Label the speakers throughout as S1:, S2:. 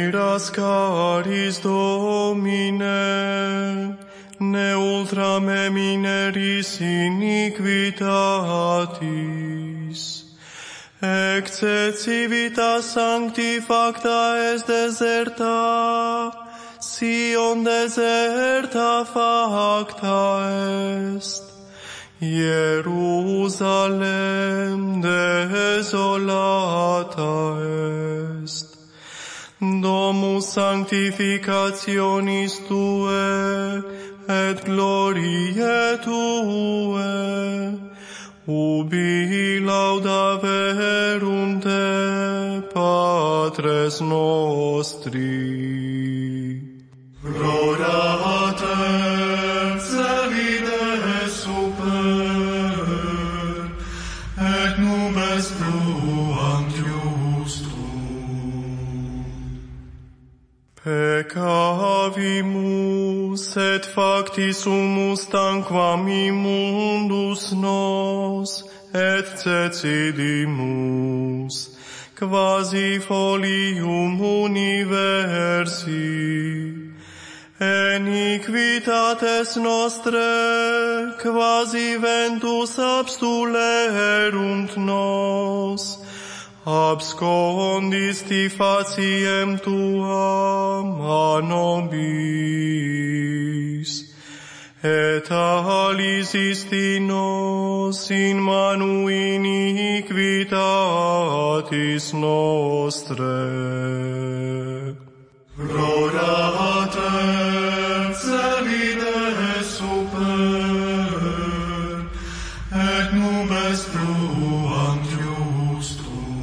S1: Miras caris Domine, ne ultra me mineris iniquitatis. Ecce civitas sancti facta est deserta, Sion deserta facta est. Jerusalem desolata est. Domus sanctificationis Tue, et gloriae Tue, ubi laudaverunt Te, Patres nostri. Gloria Te, celide super, et nubes fluant iustum. Peccavimus, et facti sumus tanquam immundus nos, et cecidimus, quasi folium universi. Iniquitates nostre, quasi ventus abstulerunt nos, abscondisti faciem Tuam a nobis, et alisisti nos in manu iniquitatis nostre. Gloria Te, celide super, et nubes fluant iustum.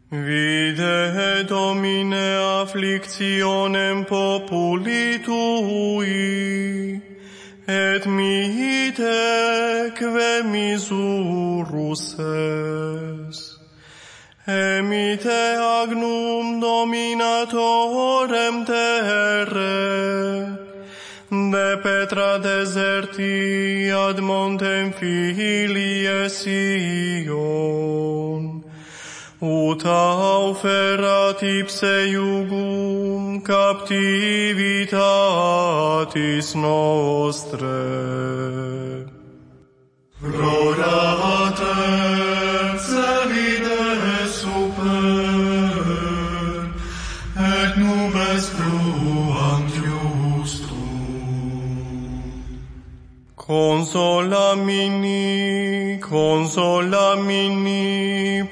S1: Vide Domine afflictionem populi Tui, et miite que misurus es. Emite agnum dominatorem terre, de petra deserti ad montem filie Sion, ut auferat ipse iugum captivitatis nostre. Gloria Te, celide super, et nubes fluant iustum. Consola mini,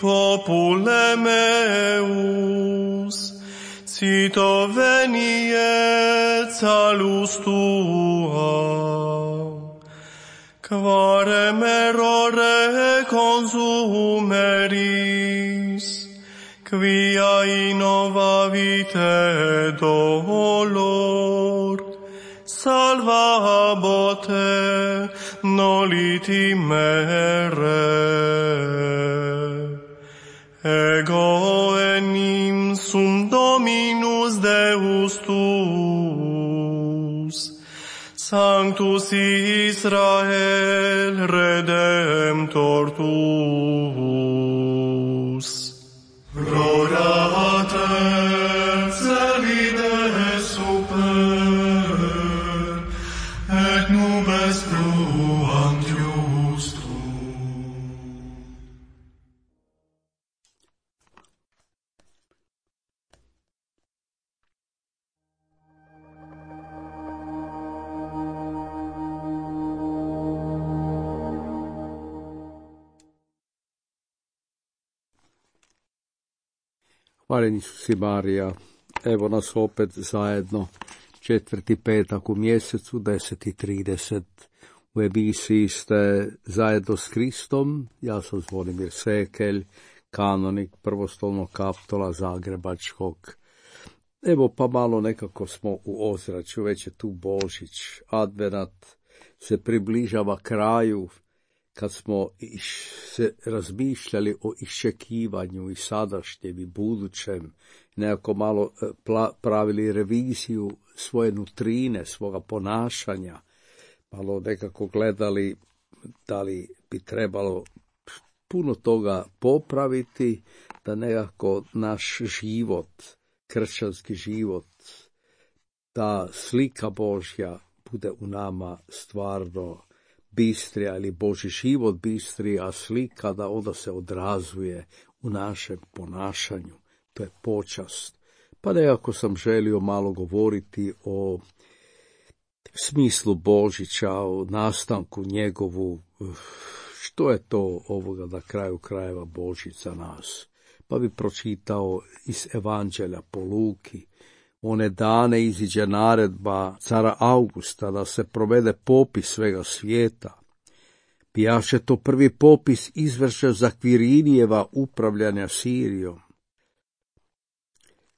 S1: popule meus, cito veniet salus Tua, quare errore consumeris, quia innovavite dolor, salvabote noliti mere. Ego enim sum Dominus Deus tuus, Sanctus Israel Redemptor tuus. Gloria Te, celide super, et nubes fluant iustum.
S2: Hvaljen Isus i Marija, evo nas opet zajedno, 4. petak u mjesecu, 10:30. U emisiji ste zajedno s Kristom. Ja sam Zvonimir Sekelj, kanonik prvostolnog kaptola Zagrebačkog. Evo pa malo nekako smo u ozračju, već je tu Božić, Advenat se približava kraju. Kad smo se razmišljali o iščekivanju i sadašnjem i budućem, nekako malo pravili reviziju svoje nutrine, svoga ponašanja, malo nekako gledali da li bi trebalo puno toga popraviti, da nekako naš život, kršćanski život, ta slika Božja bude u nama stvarno bistrija ili Božji život bistrija, a slika da onda se odrazuje u našem ponašanju. To je počast. Pa nekako sam želio malo govoriti o smislu Božića, o nastanku njegovu, što je to ovoga na kraju krajeva Božić za nas. Pa bi pročitao iz Evanđelja po Luki. One dane iziđe naredba cara Augusta da se provede popis svega svijeta. Bijaše to prvi popis izvršen za Kvirinijeva upravljanja Sirijom.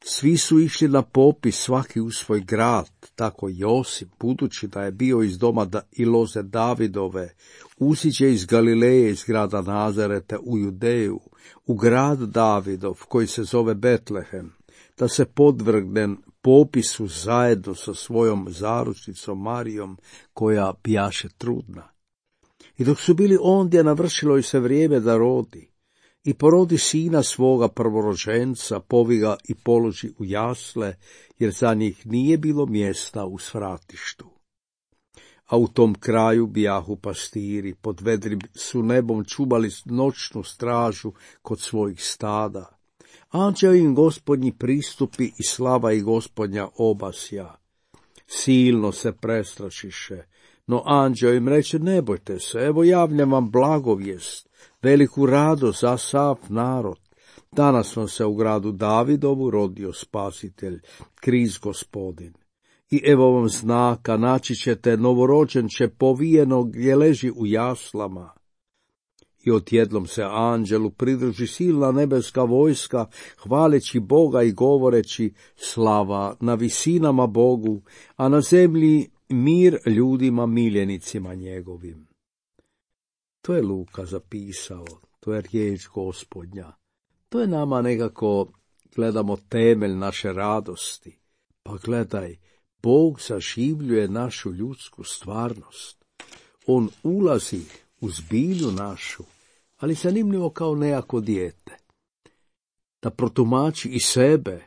S2: Svi su išli na popis, svaki u svoj grad, tako Josip, budući da je bio iz doma i loze Davidove, usiđe iz Galileje, iz grada Nazareta u Judeju, u grad Davidov, koji se zove Betlehem, da se podvrgne popisu zajedno sa svojom zaručnicom Marijom, koja bijaše trudna. I dok su bili ondje, navršilo joj se vrijeme da rodi. I porodi sina svoga prvorođenca, povi ga i položi u jasle, jer za njih nije bilo mjesta u svratištu. A u tom kraju bijahu pastiri, pod vedrim su nebom čuvali noćnu stražu kod svojih stada. Anđeo im Gospodnji pristupi i slava i Gospodnja obasja. Silno se prestrašiše, no anđeo im reče, ne bojte se, evo javljam vam blagovijest, veliku radost za sav narod. Danas vam se u gradu Davidovu rodio spasitelj, Krist Gospodin. I evo vam znaka, naći ćete novorođenče povijenog gdje leži u jaslama. I odjednom se anđelu pridruži silna nebeska vojska, hvaleći Boga i govoreći, slava na visinama Bogu, a na zemlji mir ljudima miljenicima njegovim. To je Luka zapisao, to je riječ Gospodnja. To je nama nekako, gledamo, temelj naše radosti. Pa gledaj, Bog zaživljuje našu ljudsku stvarnost. On ulazi u zbilju našu, ali zanimljivo kao nejako dijete. Da protumači i sebe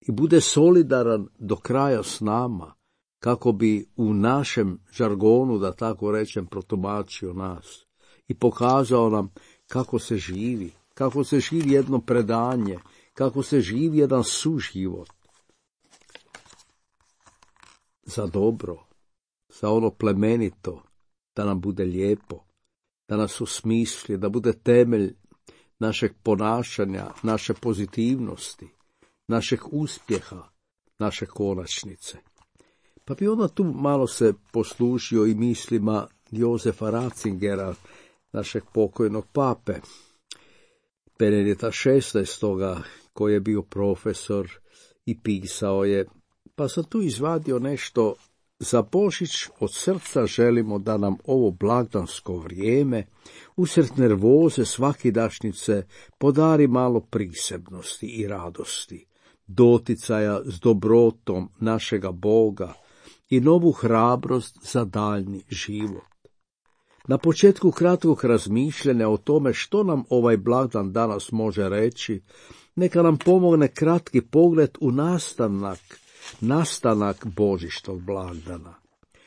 S2: i bude solidaran do kraja s nama, kako bi u našem žargonu, da tako rečem, protumačio nas i pokazao nam kako se živi jedno predanje, kako se živi jedan suživot. Za dobro, za ono plemenito, da nam bude lijepo, da nas osmisli, da bude temelj našeg ponašanja, naše pozitivnosti, našeg uspjeha, naše konačnice. Pa bi onda tu malo se poslužio i mislima Jozefa Ratzingera, našeg pokojnog pape, Benedikta XVI, koji je bio profesor i pisao je, pa sam tu izvadio nešto. Za Božić od srca želimo da nam ovo blagdansko vrijeme, usred nervoze svakidašnjice, podari malo prisebnosti i radosti, doticaja s dobrotom našega Boga i novu hrabrost za daljni život. Na početku kratkog razmišljanja o tome što nam ovaj blagdan danas može reći, neka nam pomogne kratki pogled u nastanak božićnog blagdana.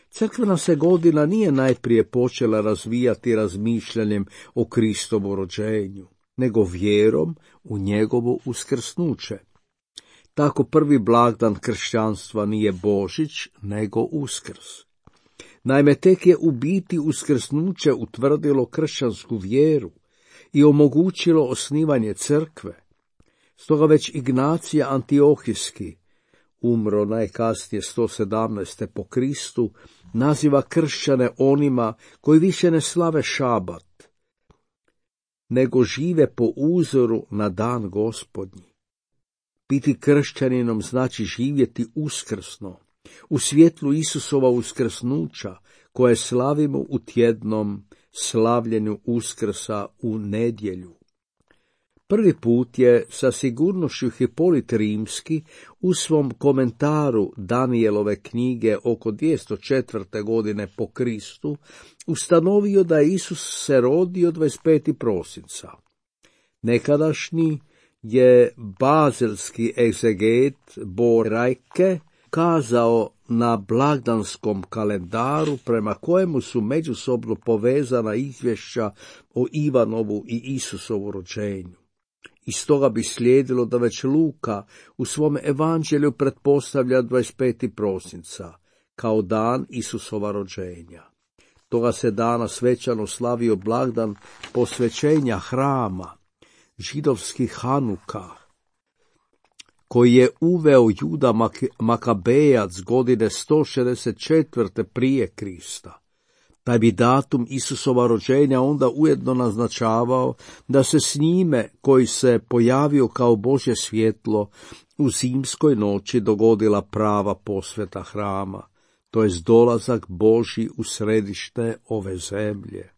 S2: Crkvena se godina nije najprije počela razvijati razmišljanjem o Kristovu rođenju, nego vjerom u njegovo uskrsnuće. Tako prvi blagdan kršćanstva nije Božić, nego Uskrs. Naime, tek je u biti uskrsnuće utvrdilo kršćansku vjeru i omogućilo osnivanje crkve. Stoga već Ignacija Antiohijski, umro najkasnije 117. po Kristu, naziva kršćane onima koji više ne slave šabat, nego žive po uzoru na dan Gospodnji. Biti kršćaninom znači živjeti uskrsno, u svjetlu Isusova uskrsnuća, koje slavimo u tjednom slavljenju Uskrsa u nedjelju. Prvi put je sa sigurnošću Hipolit Rimski u svom komentaru Danijelove knjige oko 204. godine po Kristu ustanovio da je Isus se rodio 25. prosinca. Nekadašnji je bazelski egzeget Bo Rajke kazao na blagdanskom kalendaru prema kojemu su međusobno povezana izvješća o Ivanovu i Isusovu rođenju. Iz toga bi slijedilo da već Luka u svom evanđelju pretpostavlja 25. prosinca kao dan Isusova rođenja. Toga se dana svečano slavio blagdan posvećenja hrama, židovski Hanuka, koji je uveo Juda Makabejac godine 164. prije Krista. Taj bi datum Isusova rođenja onda ujedno naznačavao da se s njime, koji se pojavio kao Božje svjetlo, u zimskoj noći dogodila prava posveta hrama, to jest dolazak Božji u središte ove zemlje.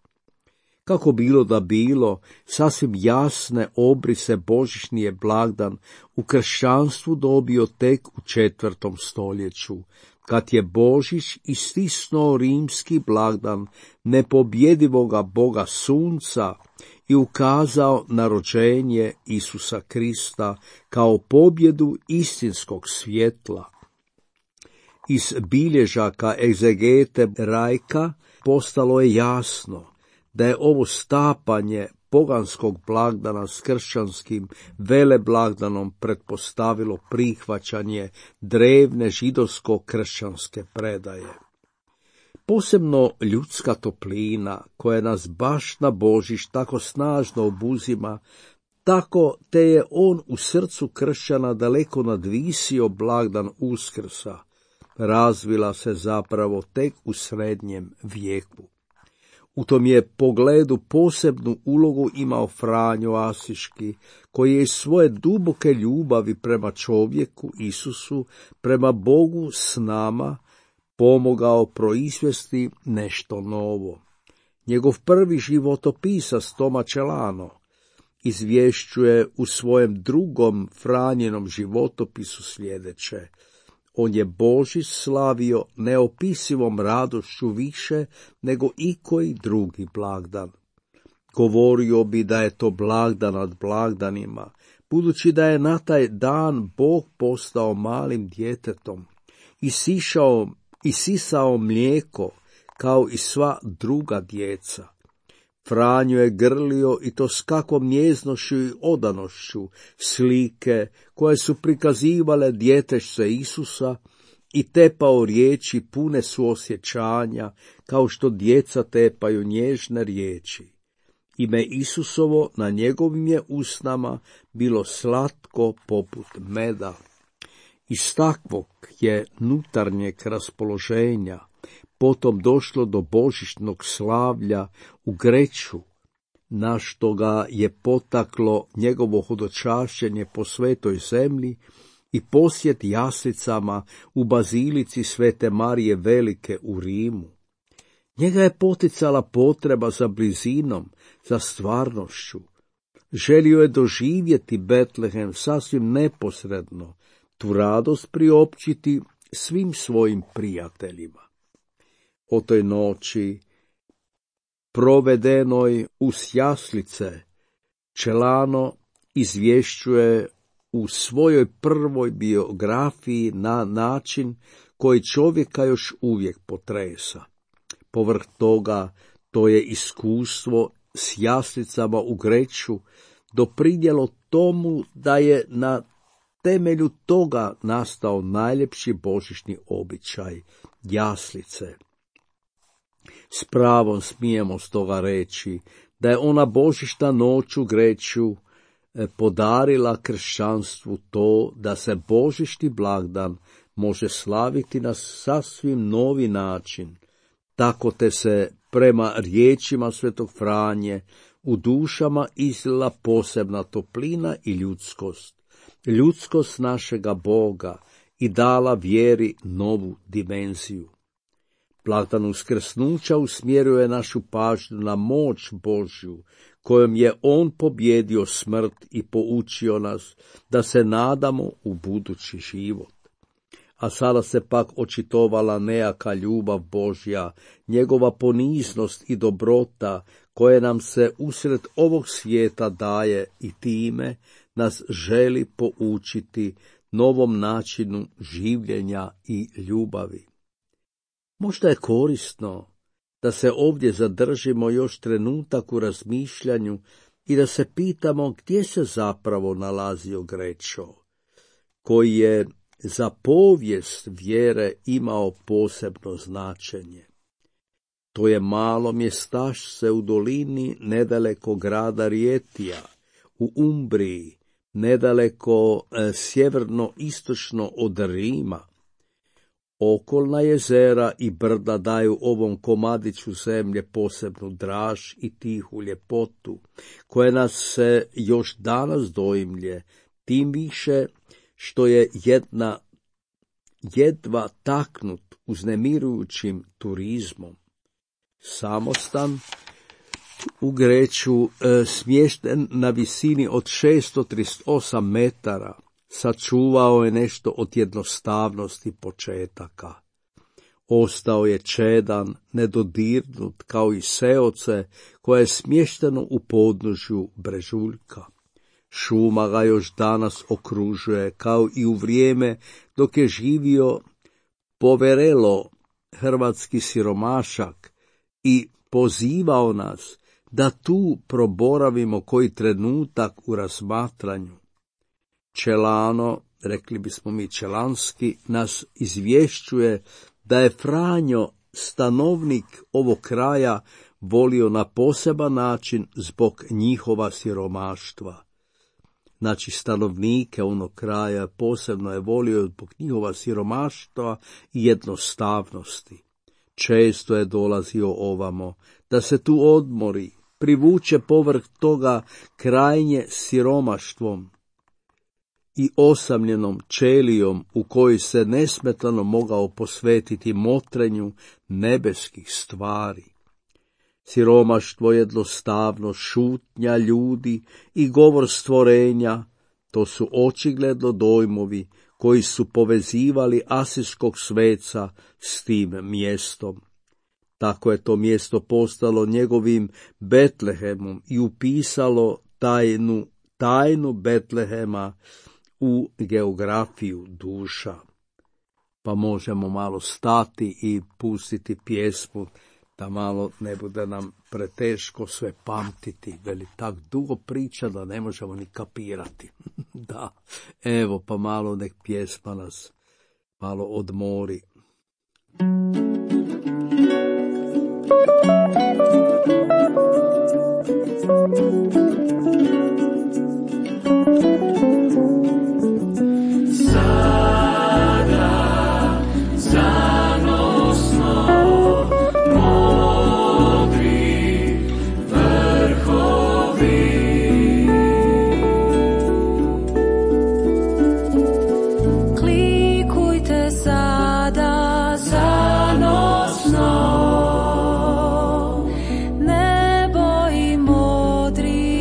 S2: Kako bilo da bilo, sasvim jasne obrise božićni blagdan u kršćanstvu dobio tek u 4. stoljeću, kad je Božić istisnuo rimski blagdan nepobjedivoga Boga sunca i ukazao na rođenje Isusa Krista kao pobjedu istinskog svjetla. Iz bilježaka egzegete Rajka postalo je jasno da je ovo stapanje poganskog blagdana s kršćanskim veleblagdanom pretpostavilo prihvaćanje drevne židovsko-kršćanske predaje. Posebno ljudska toplina, koja nas baš na Božić tako snažno obuzima, tako te je on u srcu kršćana daleko nadvisio blagdan Uskrsa, razvila se zapravo tek u srednjem vijeku. U tom je pogledu posebnu ulogu imao Franjo Asiški, koji je iz svoje duboke ljubavi prema čovjeku Isusu, prema Bogu s nama, pomogao proizvesti nešto novo. Njegov prvi životopisac Toma Celano izvješćuje u svojem drugom Franjinom životopisu sljedeće: on je Božić slavio neopisivom radošću više nego ikoji drugi blagdan. Govorio bi da je to blagdan nad blagdanima, budući da je na taj dan Bog postao malim djetetom i sisao mlijeko kao i sva druga djeca. Franjo je grlio, i to s kakvom njeznošću i odanošću, slike koje su prikazivale djetešce Isusa i tepao riječi pune suosjećanja, kao što djeca tepaju nježne riječi. Ime Isusovo na njegovim je usnama bilo slatko poput meda. Iz takvog je nutarnjeg raspoloženja potom došlo do božićnog slavlja u Greču, na što ga je potaklo njegovo hodočašćenje po svetoj zemlji i posjet jaslicama u bazilici Svete Marije Velike u Rimu. Njega je poticala potreba za blizinom, za stvarnošću. Želio je doživjeti Betlehem sasvim neposredno, tu radost priopćiti svim svojim prijateljima. O toj noći, provedenoj uz jaslice, Celano izvješćuje u svojoj prvoj biografiji na način koji čovjeka još uvijek potresa. Povrh toga, to je iskustvo s jaslicama u Greču doprinijelo tomu da je na temelju toga nastao najljepši božićni običaj, jaslice. S pravom smijemo stoga reći da je ona božićna noć u Greču podarila kršćanstvu to da se božićni blagdan može slaviti na sasvim novi način, tako te se prema riječima svetog Franje u dušama izlila posebna toplina i ljudskost našega Boga i dala vjeri novu dimenziju. Blagdan uskrsnuća usmjeruje našu pažnju na moć Božju, kojom je on pobjedio smrt i poučio nas da se nadamo u budući život. A sada se pak očitovala nejaka ljubav Božja, njegova poniznost i dobrota, koje nam se usred ovog svijeta daje i time nas želi poučiti novom načinu življenja i ljubavi. Možda je korisno da se ovdje zadržimo još trenutak u razmišljanju i da se pitamo gdje se zapravo nalazio Grečo, koji je za povijest vjere imao posebno značenje. To je malo mjestašce u dolini nedaleko grada Rijetija, u Umbriji, nedaleko sjeverno-istočno od Rima. Okolna jezera i brda daju ovom komadiću zemlje posebnu draž i tihu ljepotu, koje nas se još danas doimlje, tim više što je jedva taknut uznemirujućim turizmom. Samostan u Greču, smješten na visini od 638 metara, sačuvao je nešto od jednostavnosti početaka. Ostao je čedan, nedodirnut kao i seoce koje je smješteno u podnožju brežuljka. Šuma ga još danas okružuje, kao i u vrijeme dok je živio Poverelo, hrvatski siromašak, i pozivao nas da tu proboravimo koji trenutak u razmatranju. Čelano, rekli bismo mi Čelanski, nas izvješćuje da je Franjo, stanovnik ovog kraja, volio na poseban način zbog njihova siromaštva. Znači, stanovnike onog kraja posebno je volio zbog njihova siromaštva i jednostavnosti. Često je dolazio ovamo, da se tu odmori, privuče povrh toga krajnje siromaštvom i osamljenom čelijom u kojoj se nesmetano mogao posvetiti motrenju nebeskih stvari. Siromaštvo, jednostavno, šutnja ljudi i govor stvorenja, to su očigledno dojmovi koji su povezivali asirskog sveca s tim mjestom. Tako je to mjesto postalo njegovim Betlehemom i upisalo tajnu Betlehema u geografiju duša. Pa možemo malo stati i pustiti pjesmu, da malo ne bude nam preteško sve pamtiti, veli tak dugo priča da ne možemo ni kapirati. Da, evo pa malo nek pjesma nas malo odmori.
S3: Nebo i modri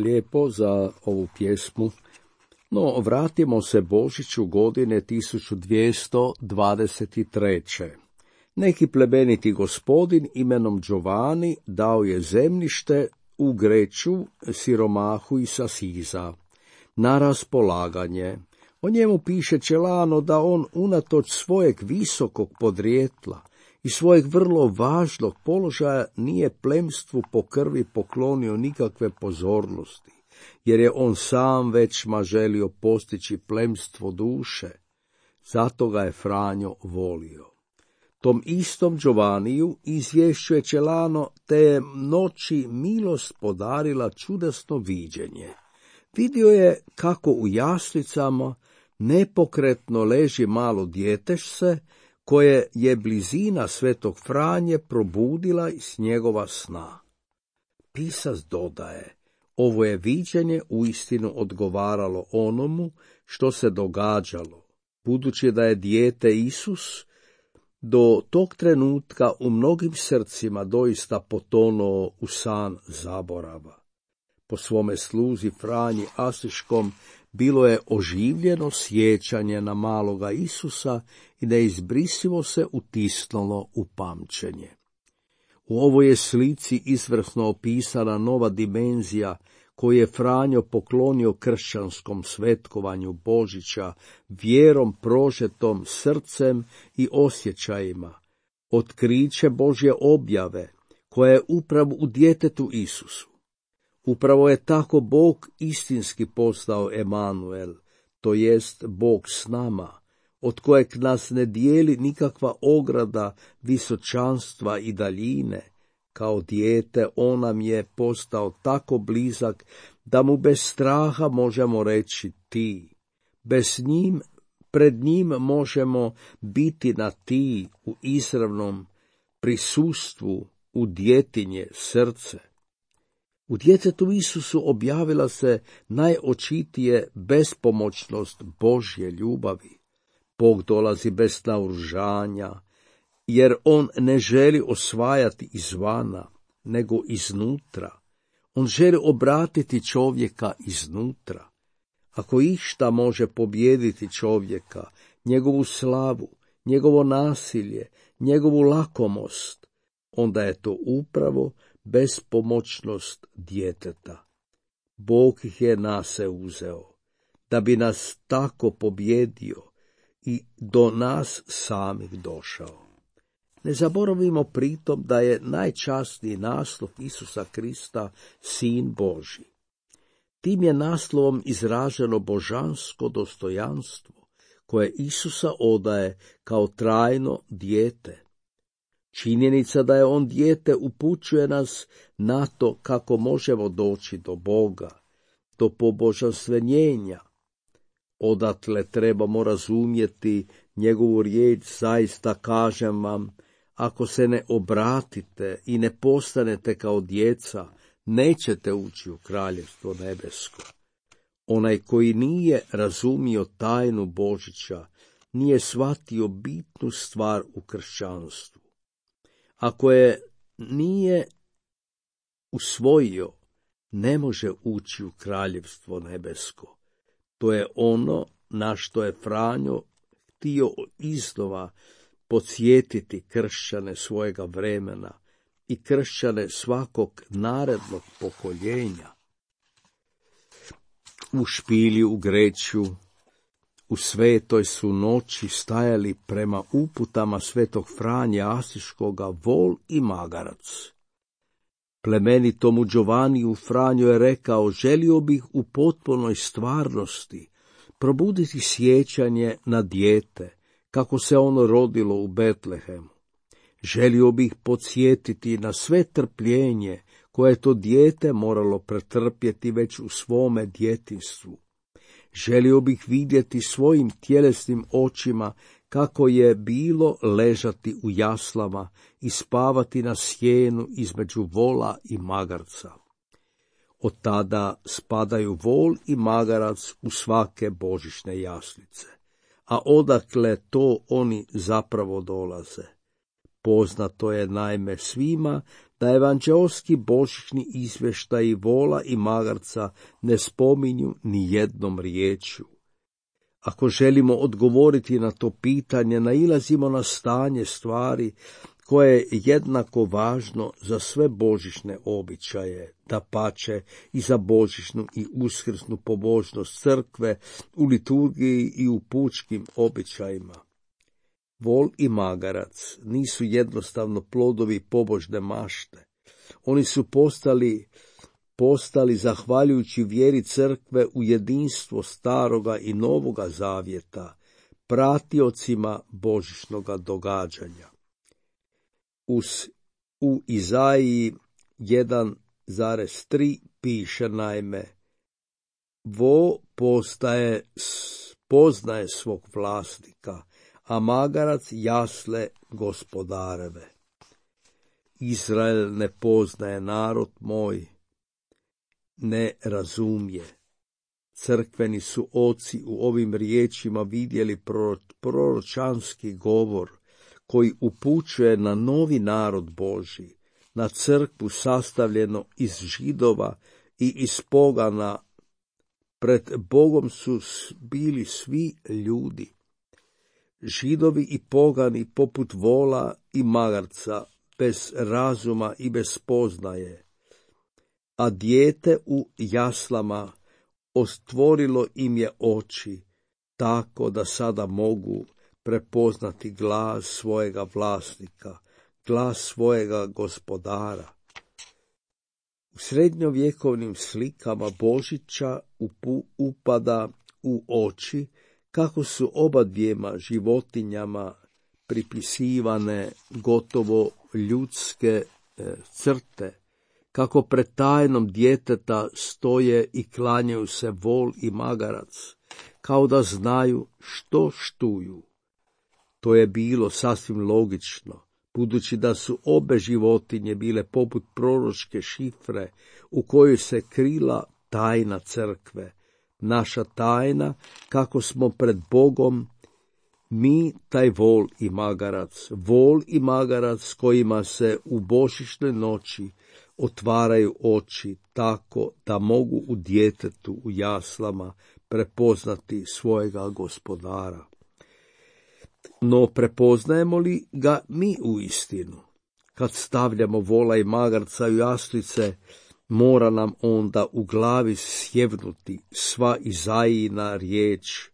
S2: lijepo za ovu pjesmu. No, vratimo se Božiću godine 1223. Neki plemeniti gospodin imenom Giovanni dao je zemljište u Greću siromahu iz Asiza na raspolaganje. O njemu piše Celano da on unatoč svojeg visokog podrijetla i svojeg vrlo važnog položaja nije plemstvu po krvi poklonio nikakve pozornosti, jer je on sam većma želio postići plemstvo duše. Zato ga je Franjo volio. Tom istom Giovanniju izvješćuje Celano, te je noći milost podarila čudesno viđenje. Vidio je kako u jaslicama nepokretno leži malo djetešce, koje je blizina svetog Franje probudila iz njegova sna. Pisac dodaje, ovo je viđenje uistinu odgovaralo onomu što se događalo, budući da je dijete Isus do tog trenutka u mnogim srcima doista potonuo u san zaborava. Po svome sluzi Franji Asiškom bilo je oživljeno sjećanje na maloga Isusa i neizbrisivo se utisnulo u pamćenje. U ovoj je slici izvrsno opisana nova dimenzija koju je Franjo poklonio kršćanskom svetkovanju Božića, vjerom prožetom srcem i osjećajima, otkriće Božje objave koja je upravo u djetetu Isusu. Upravo je tako Bog istinski postao Emanuel, to jest Bog s nama, od kojeg nas ne dijeli nikakva ograda visočanstva i daljine. Kao dijete on nam je postao tako blizak da mu bez straha možemo reći ti. Pred njim možemo biti na ti u izravnom prisustvu, u djetinje srce. U djetetu Isusu objavila se najočitije bespomoćnost Božje ljubavi. Bog dolazi bez naoružanja, jer on ne želi osvajati izvana, nego iznutra. On želi obratiti čovjeka iznutra. Ako išta može pobijediti čovjeka, njegovu slavu, njegovo nasilje, njegovu lakomost, onda je to upravo bespomoćnost djeteta. Bog ih je na se uzeo, da bi nas tako pobjedio i do nas samih došao. Ne zaboravimo pritom da je najčasniji naslov Isusa Krista Sin Božji. Tim je naslovom izraženo božansko dostojanstvo koje Isusa odaje kao trajno dijete. Činjenica da je on dijete upućuje nas na to kako možemo doći do Boga, do pobožanstvenjenja. Odatle trebamo razumjeti njegovu riječ, zaista kažem vam, ako se ne obratite i ne postanete kao djeca, nećete ući u kraljevstvo nebesko. Onaj koji nije razumio tajnu Božića, nije shvatio bitnu stvar u kršćanstvu. Ako je nije usvojio, ne može ući u kraljevstvo nebesko. To je ono na što je Franjo htio iznova podsjetiti kršćane svojega vremena i kršćane svakog narednog pokoljenja. U špilji u Greću, u svetoj su noći stajali prema uputama svetog Franje Asiškoga vol i magarac. Plemenitomu Giovanniju Franjo je rekao, želio bih u potpunoj stvarnosti probuditi sjećanje na dijete, kako se ono rodilo u Betlehemu. Želio bih podsjetiti na sve trpljenje koje je to dijete moralo pretrpjeti već u svome djetinjstvu. Želio bih vidjeti svojim tjelesnim očima kako je bilo ležati u jaslama i spavati na sjenu između vola i magarca. Od tada spadaju vol i magarac u svake božićne jaslice. A odakle to oni zapravo dolaze? Poznato je naime svima da evanđeoski božićni izvještaji vola i magarca ne spominju ni jednom riječju. Ako želimo odgovoriti na to pitanje, nailazimo na stanje stvari koje je jednako važno za sve božićne običaje, dapače i za božićnu i uskrsnu pobožnost crkve u liturgiji i u pučkim običajima. Vol i magarac nisu jednostavno plodovi pobožne mašte. Oni su postali zahvaljujući vjeri crkve u jedinstvo staroga i novoga zavjeta, pratiocima božićnoga događanja. U Izaiji 1,3 piše naime: vo poznaje svog vlasnika, a magarac jasle gospodareve. Izrael ne poznaje, narod moj ne razumije. Crkveni su oci u ovim riječima vidjeli proročanski govor koji upućuje na novi narod Božji, na crkvu sastavljeno iz Židova i iz pogana. Pred Bogom su bili svi ljudi, Židovi i pogani poput vola i magarca, bez razuma i bez spoznaje, a dijete u jaslama ostvorilo im je oči, tako da sada mogu prepoznati glas svojega vlasnika, glas svojega gospodara. U srednjovjekovnim slikama Božića upada u oči kako su obadvijema životinjama pripisivane gotovo ljudske crte, kako pred tajnom djeteta stoje i klanjaju se vol i magarac, kao da znaju što štuju. To je bilo sasvim logično, budući da su obe životinje bile poput proročke šifre u kojoj se krila tajna crkve, naša tajna kako smo pred Bogom mi taj vol i magarac s kojima se u božićnoj noći otvaraju oči tako da mogu u djetetu u jaslama prepoznati svojega gospodara. No prepoznajemo li ga mi uistinu? Kad stavljamo vola i magarca u jaslice, mora nam onda u glavi sjevnuti sva Izajina riječ,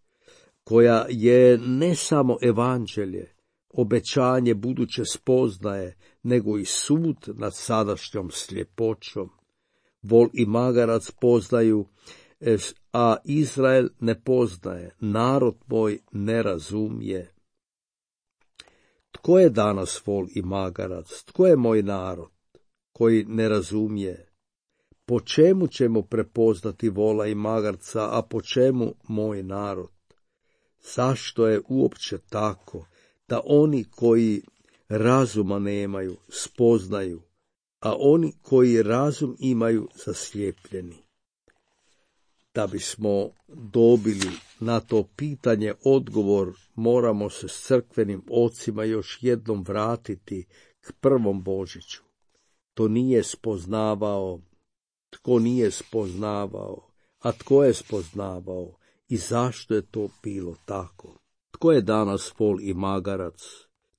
S2: koja je ne samo evanđelje, obećanje buduće spoznaje, nego i sud nad sadašnjom sljepoćom. Vol i magarac poznaju, a Izrael ne poznaje, narod moj ne razumije. Tko je danas vol i magarac? Tko je moj narod koji ne razumije? Po čemu ćemo prepoznati vola i magarca, a po čemu moj narod? Zašto je uopće tako da oni koji razuma nemaju spoznaju, a oni koji razum imaju zaslijepljeni? Da bismo dobili na to pitanje odgovor, moramo se s crkvenim ocima još jednom vratiti k prvom Božiću. To nije spoznavao. Tko nije spoznavao, a tko je spoznavao i zašto je to bilo tako? Tko je danas vol i magarac?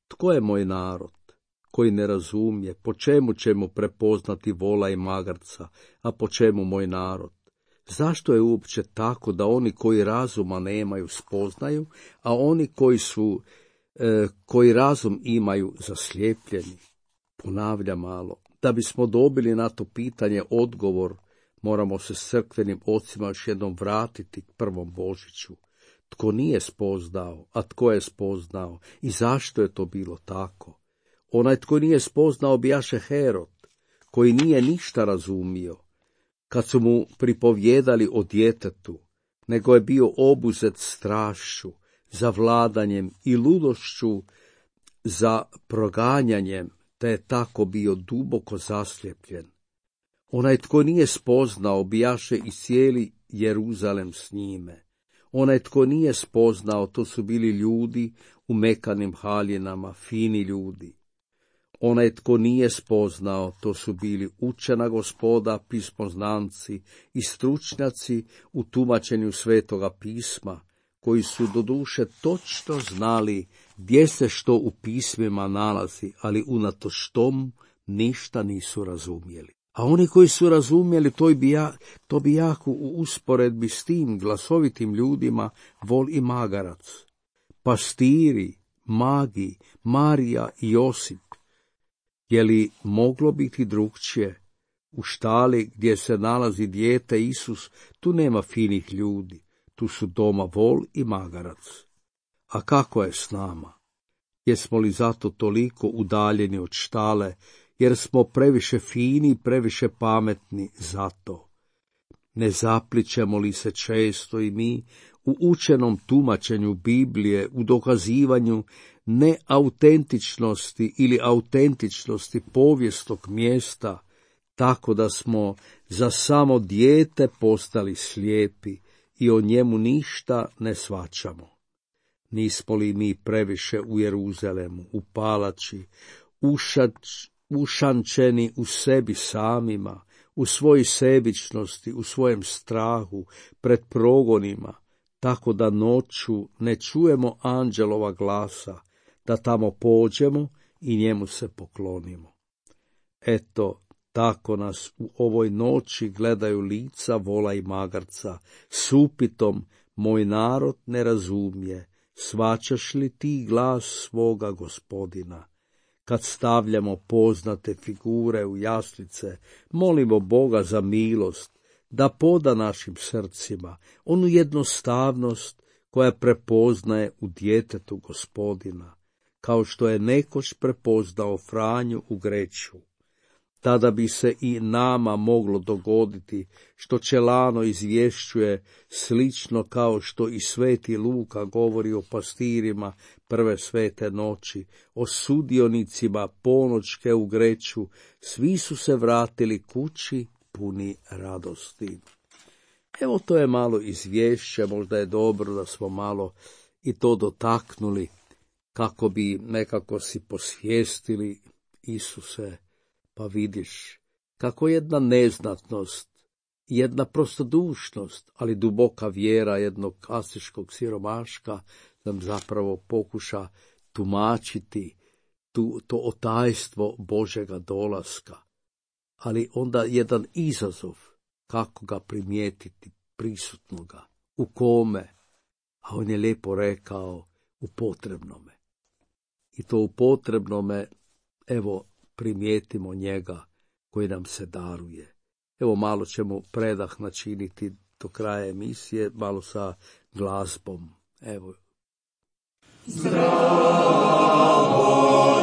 S2: Tko je moj narod koji ne razumije? Po čemu ćemo prepoznati vola i magarca, a po čemu moj narod? Zašto je uopće tako da oni koji razuma nemaju spoznaju, a oni koji razum imaju zaslijepljeni? Ponavljam malo. Da bismo dobili na to pitanje odgovor, moramo se s crkvenim ocima još jednom vratiti k prvom Božiću. Tko nije spoznao, a tko je spoznao i zašto je to bilo tako? Onaj tko nije spoznao bijaše Herod, koji nije ništa razumio, kad su mu pripovjedali o djetetu, nego je bio obuzet strašću, za vladanjem i ludošću, za proganjanjem, te je tako bio duboko zaslijepljen. Onaj tko nije spoznao, bijaše i cijeli Jeruzalem s njime. Onaj tko nije spoznao, to su bili ljudi u mekanim haljinama, fini ljudi. Onaj tko nije spoznao, to su bili učena gospoda, pismoznanci i stručnjaci u tumačenju Svetoga pisma, koji su doduše točno znali gdje se što u pismima nalazi, ali unatoč tomu ništa nisu razumjeli. A oni koji su razumjeli, to bi jako u usporedbi s tim glasovitim ljudima vol i magarac, pastiri, magi, Marija i Josip. Je li moglo biti drugčije? U štali gdje se nalazi dijete Isus, tu nema finih ljudi, tu su doma vol i magarac. A kako je s nama? Jesmo li zato toliko udaljeni od štale, jer smo previše fini, previše pametni za to? Ne zaplićemo li se često i mi u učenom tumačenju Biblije, u dokazivanju neautentičnosti ili autentičnosti povijesnog mjesta, tako da smo za samo dijete postali slijepi i o njemu ništa ne shvaćamo? Nismo li mi previše u Jeruzalemu, u palači, ušančeni u sebi samima, u svojoj sebičnosti, u svojem strahu, pred progonima, tako da noću ne čujemo anđelova glasa, da tamo pođemo i njemu se poklonimo? Eto, tako nas u ovoj noći gledaju lica vola i magarca, s upitom: moj narod ne razumije, shvaćaš li ti glas svoga Gospodina? Kad stavljamo poznate figure u jaslice, molimo Boga za milost, da poda našim srcima onu jednostavnost koja prepoznaje u djetetu Gospodina, kao što je nekoć prepoznao Franju u Greću. Tada bi se i nama moglo dogoditi što Čelano izvješćuje, slično kao što i sveti Luka govori o pastirima prve svete noći, o sudionicima ponoćke u Greću. Svi su se vratili kući puni radosti. Evo, to je malo izvješće, možda je dobro da smo malo i to dotaknuli, kako bi nekako si posvijestili: Isuse, pa vidiš kako jedna neznatnost, jedna prostodušnost, ali duboka vjera jednog asiškog siromaška nam zapravo pokuša tumačiti to otajstvo Božega dolaska. Ali onda jedan izazov kako ga primijetiti prisutnoga, u kome, a on je lijepo rekao: u potrebnome. I to u potrebnome, evo, primijetimo njega koji nam se daruje. Evo, malo ćemo predah načiniti do kraja emisije, malo sa glazbom. Evo.
S1: Zdravo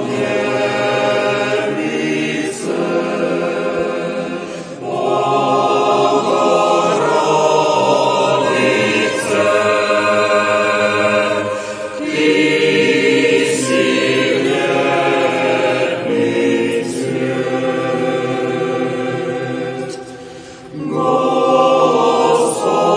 S1: djevice, Bogorodice, ti si Gospod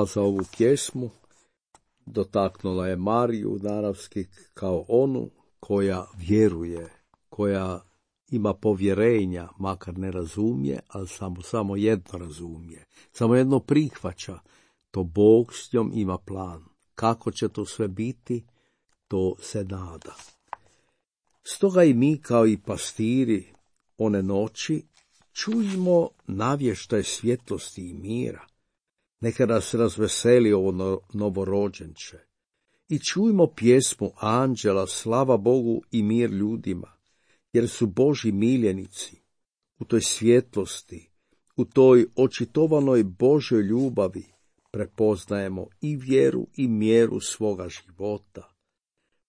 S2: Hvala za ovu pjesmu. Dotaknula je Mariju naravski kao onu koja vjeruje, koja ima povjerenja, makar ne razumije, ali samo jedno razumije. Samo jedno prihvaća. To Bog s njom ima plan. Kako će to sve biti, to se nada. Stoga i mi kao i pastiri one noći čujmo navještaj svjetlosti i mira. Neka nas razveseli ovo novorođenče. I čujmo pjesmu anđela, slava Bogu i mir ljudima, jer su Božji miljenici. U toj svjetlosti, u toj očitovanoj Božjoj ljubavi prepoznajemo i vjeru i mjeru svoga života.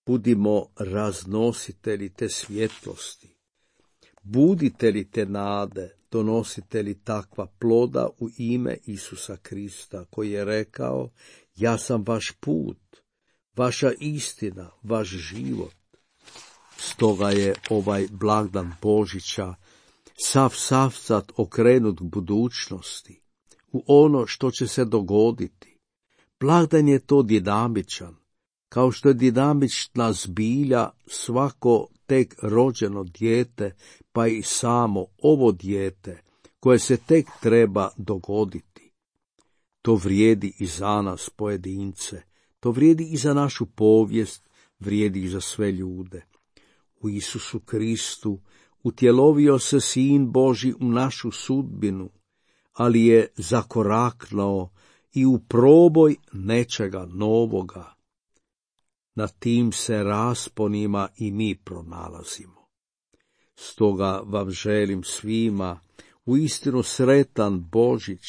S2: Budimo raznositelji te svjetlosti, buditelji te nade, donositelji takva ploda u ime Isusa Krista, koji je rekao: ja sam vaš put, vaša istina, vaš život. Stoga je ovaj blagdan Božića sav savcat okrenut k budućnosti, u ono što će se dogoditi. Blagdan je to dinamičan, kao što je dinamična zbilja svako tek rođeno dijete, pa i samo ovo dijete koje se tek treba dogoditi. To vrijedi i za nas pojedince, to vrijedi i za našu povijest, vrijedi i za sve ljude. U Isusu Kristu utjelovio se Sin Božji u našu sudbinu, ali je zakoraknuo i u proboj nečega novoga. Na tim se rasponima i mi pronalazimo. Stoga vam želim svima uistinu sretan Božić,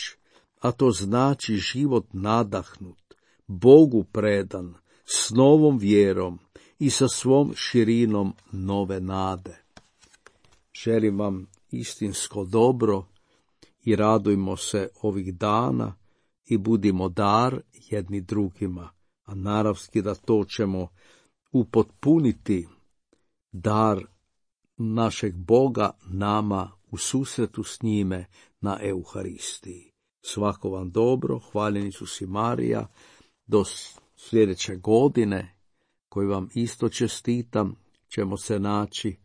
S2: a to znači život nadahnut, Bogu predan, s novom vjerom i sa svom širinom nove nade. Želim vam istinsko dobro i radujmo se ovih dana i budimo dar jedni drugima, a naravski da to ćemo upotpuniti dar našeg Boga nama u susretu s njime na Euharistiji. Svako vam dobro, hvaljeni Isus i Marija, do sljedeće godine, koji vam isto čestitam, ćemo se naći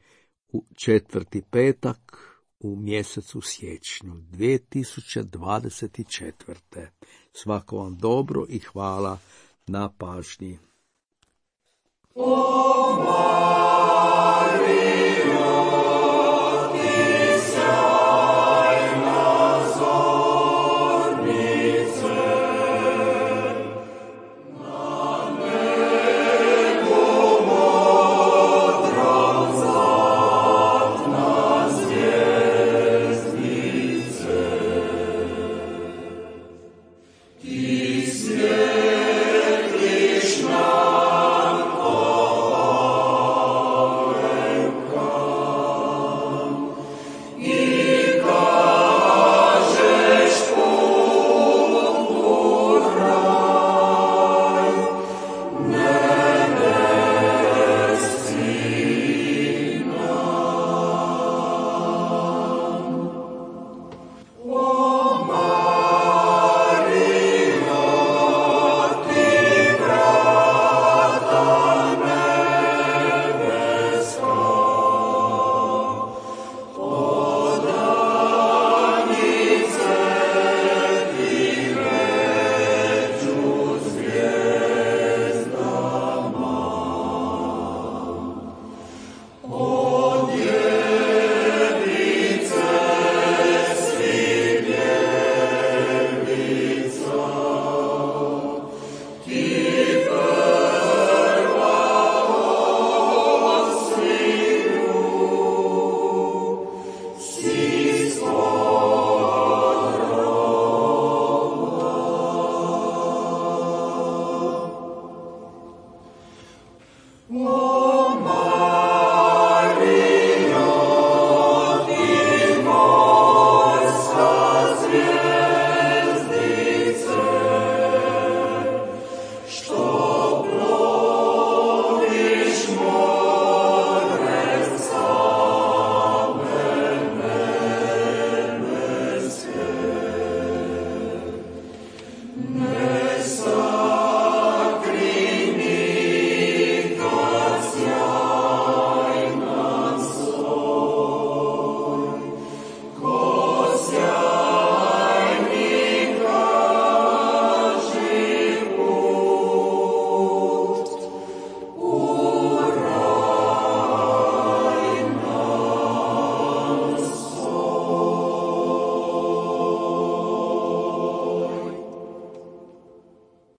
S2: u 4. petak u mjesecu siječnju 2024. Svako vam dobro i hvala na pažnji.
S1: O